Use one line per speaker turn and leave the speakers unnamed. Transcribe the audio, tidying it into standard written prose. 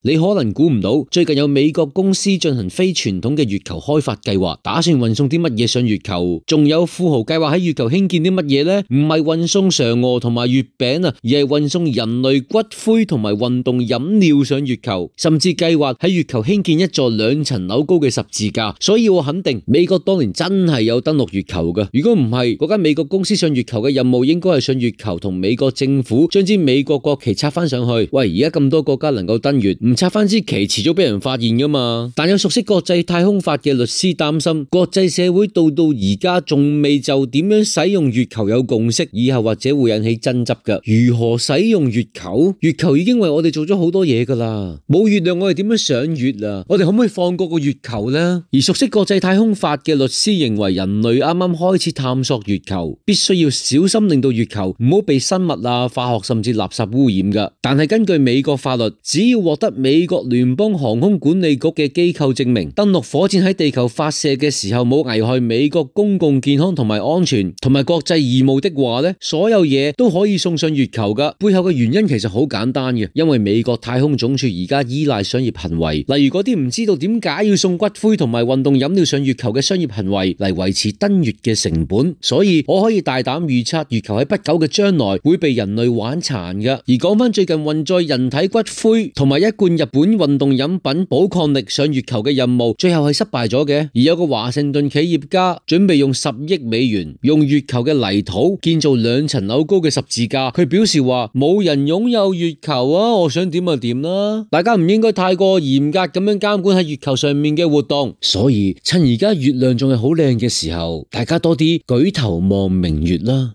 你可能估唔到，最近有美國公司進行非傳統嘅月球開發計劃，打算運送啲乜嘢上月球？仲有富豪計劃喺月球興建啲乜嘢呢？唔係運送嫦娥同埋月餅啊，而係運送人類骨灰同埋運動飲料上月球，甚至計劃喺月球興建一座2層樓高嘅十字架。所以我肯定美國當年真係有登陸月球㗎。如果唔係，嗰間美國公司上月球嘅任務應該係上月球同美國政府將支美國國旗插翻上去。喂，而家咁多國家能夠登月，唔插翻支旗，遲早俾人發現噶嘛。但有熟悉國際太空法嘅律師擔心，國際社會到而家仲未就點樣使用月球有共識，以後或者會引起爭執噶。如何使用月球？月球已經為我哋做咗好多嘢噶啦，冇月亮我哋點樣上月啊？我哋可唔可以放過個月球呢？而熟悉國際太空法嘅律師認為，人類啱啱開始探索月球，必須要小心令到月球唔好被生物啊、化學甚至垃圾污染噶。但係根據美國法律，只要獲得美國聯邦航空管理局嘅機構證明，登陸火箭喺地球發射嘅時候冇危害美國公共健康同埋安全同埋國際義務的話呢，所有嘢都可以送上月球噶。背後嘅原因其實好簡單嘅，因為美國太空總署而家依賴商業行為，例如嗰啲唔知道點解要送骨灰同埋運動飲料上月球嘅商業行為嚟維持登月嘅成本。所以我可以大膽預測，月球喺不久嘅將來會被人類玩殘噶。而講翻最近運載人體骨灰同埋一罐日本運動飲品寶礦力上月球嘅任務，最後係失敗咗嘅。而有個華盛頓企業家準備用10億美元用月球嘅泥土建造2層樓高嘅十字架。佢表示話冇人擁有月球啊，我想點就點啦。大家唔應該太過嚴格咁樣監管喺月球上面嘅活動。所以趁而家月亮仲係好靚嘅時候，大家多啲舉頭望明月啦。